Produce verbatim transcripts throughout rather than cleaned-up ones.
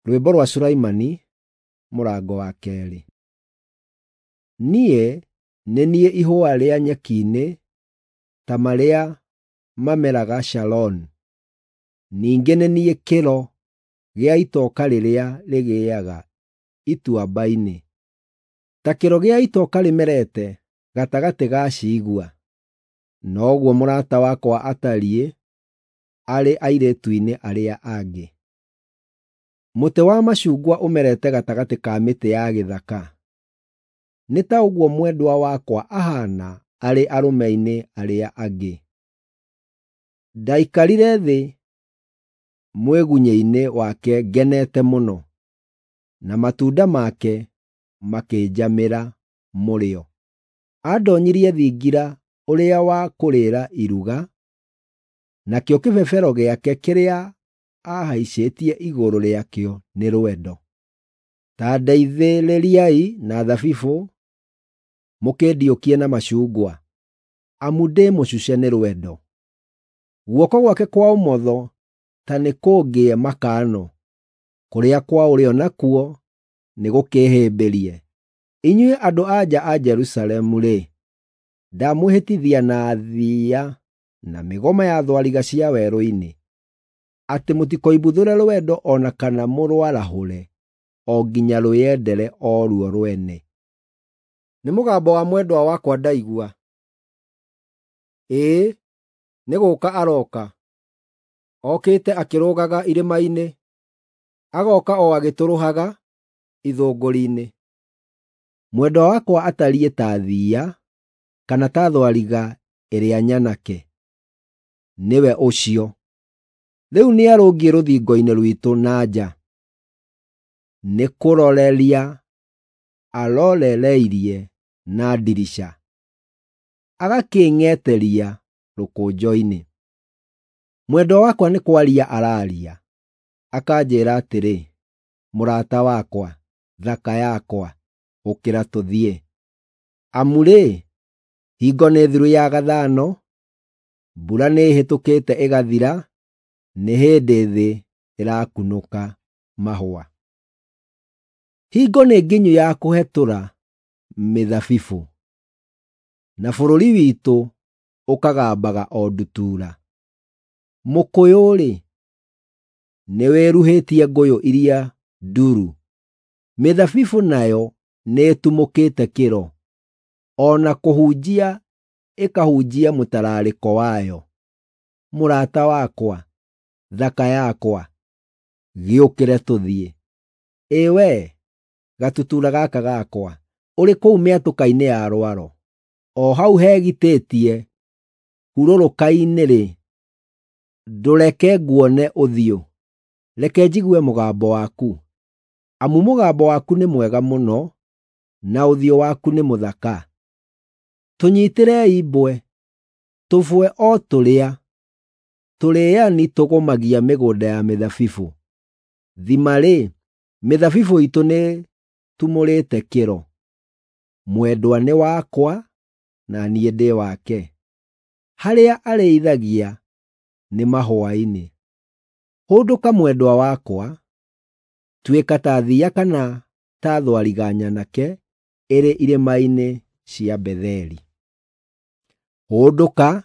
Rwĩmbo rwa Sulaimani, mũrango wa keerĩ. Niĩ nĩ niĩ ihũa rĩa nyeki-inĩ ta marĩa mameraga Sharoni, ningĩ nĩ niĩ kĩro gĩa itoka rĩrĩa rĩgĩaga ituamba-inĩ. Ta kĩro gĩa itoka rĩmerete gatagatĩ ga ciigua, noguo mũrata wakwa atariĩ arĩ airĩtu-inĩ arĩa angĩ. Mũtĩ wa macungwa ũmerete gatagatĩ ka mĩtĩ ya gĩthaka, nĩ ta ũguo mwendwa wakwa ahaana arĩ arũme-inĩ arĩa angĩ. Ndaikarire thĩ mwĩgunyĩ-inĩ wake ngenete mũno, na matunda make makĩnjamĩra mũrĩo. Andoonyirie thingira ũrĩa wa kũrĩĩra iruga, nakĩo kĩbebero gĩake kĩrĩa aahaicĩtie igũrũ rĩakĩo nĩ rwendo. Ta ndeithĩrĩriai na thabibũ, mũkĩndiũkie na macungwa, amu ndĩ mũcuce nĩ rwendo. Guoko gwake kwa ũmotho ta nĩkũngĩe makano, kũrĩa kwa ũrĩo nakuo nĩgũkĩĩhĩmbĩrie. Inyuĩ andũ-a-nja a Jerusalemu-rĩ, ndamwĩhĩtithia na thiiya na mĩgoma ya thwariga cia werũ-inĩ, atĩ mũtikoimbuthũre rwendo o na kana mũrwarahũre o nginya rwĩyendere o ruo rwene. Nĩ mũgambo wa mwendwa wakwa ndaigua! Ĩĩ, nĩ gũũka arooka, okĩte akĩrũgaga irĩma-inĩ, agooka o agĩtũrũhaga ithũngũri-inĩ. Mwendwa wakwa atariĩ ta thiiya, kana ta thwariga ĩrĩa nyanake. Nĩwe ũcio! Rĩu nĩarũngiĩ rũthingo-inĩ rwitũ na nja, nĩkũroreria arorereirie na ndirica, agakĩng'eteria rũkũnjo-inĩ. Mwendwa wakwa nĩ kwaria araaria, akanjĩĩra atĩrĩ, “Mũrata wakwa, thaka yakwa, ũkĩra tũthiĩ. Amu-rĩ, hingo nĩ thiru ya gathano, mbura nĩĩhĩtũkĩte ĩgathira, nĩ hĩndĩ thĩ ĩrakunũka mahũa. Hingo nĩ nginyu ya kũhetũra mĩthabibũ, na bũrũri witũ ũkagambaga o ndutura. Mũkũyũ-rĩ, nĩwĩruhĩtie ngũyũ iria nduru, mĩthabibũ nayo nĩĩtumũkĩte kĩro, o na kũhunjia ĩkahunjia mũtararĩko wayo. Mũrata wakwa, thaka yakwa, gĩũkĩre tũthiĩ. Ĩ wee, gatutura gaka gakwa, ũrĩ kũu mĩatũka-inĩ ya rwaro, o hau hegitĩtie hurũrũka-inĩ-rĩ, ndũreke nguone ũthiũ, reke njigue mũgambo waku, amu mũgambo waku nĩ mwega mũno, na ũthiũ waku nĩ mũthaka. Tũnyiitĩrei mbwe, tũbwe o tũrĩa tũrĩĩani tũgũmagia mĩgũnda ya mĩthabibũ. Thima-rĩ, mĩthabibũ iitũ nĩĩtumũrĩte kĩro. Mwendwa nĩ wakwa, na niĩ ndĩ wake; harĩa arĩithagia nĩ mahũa-inĩ. Hũndũka mwendwa wakwa, tuĩka ta thiiya kana ta thwariga nyanake ĩrĩ irĩma-inĩ cia Betheli. Hũndũka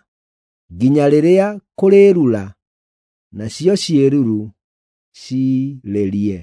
nginya rĩrĩa kũrĩĩrura, nacio ciĩruru ciirĩrie.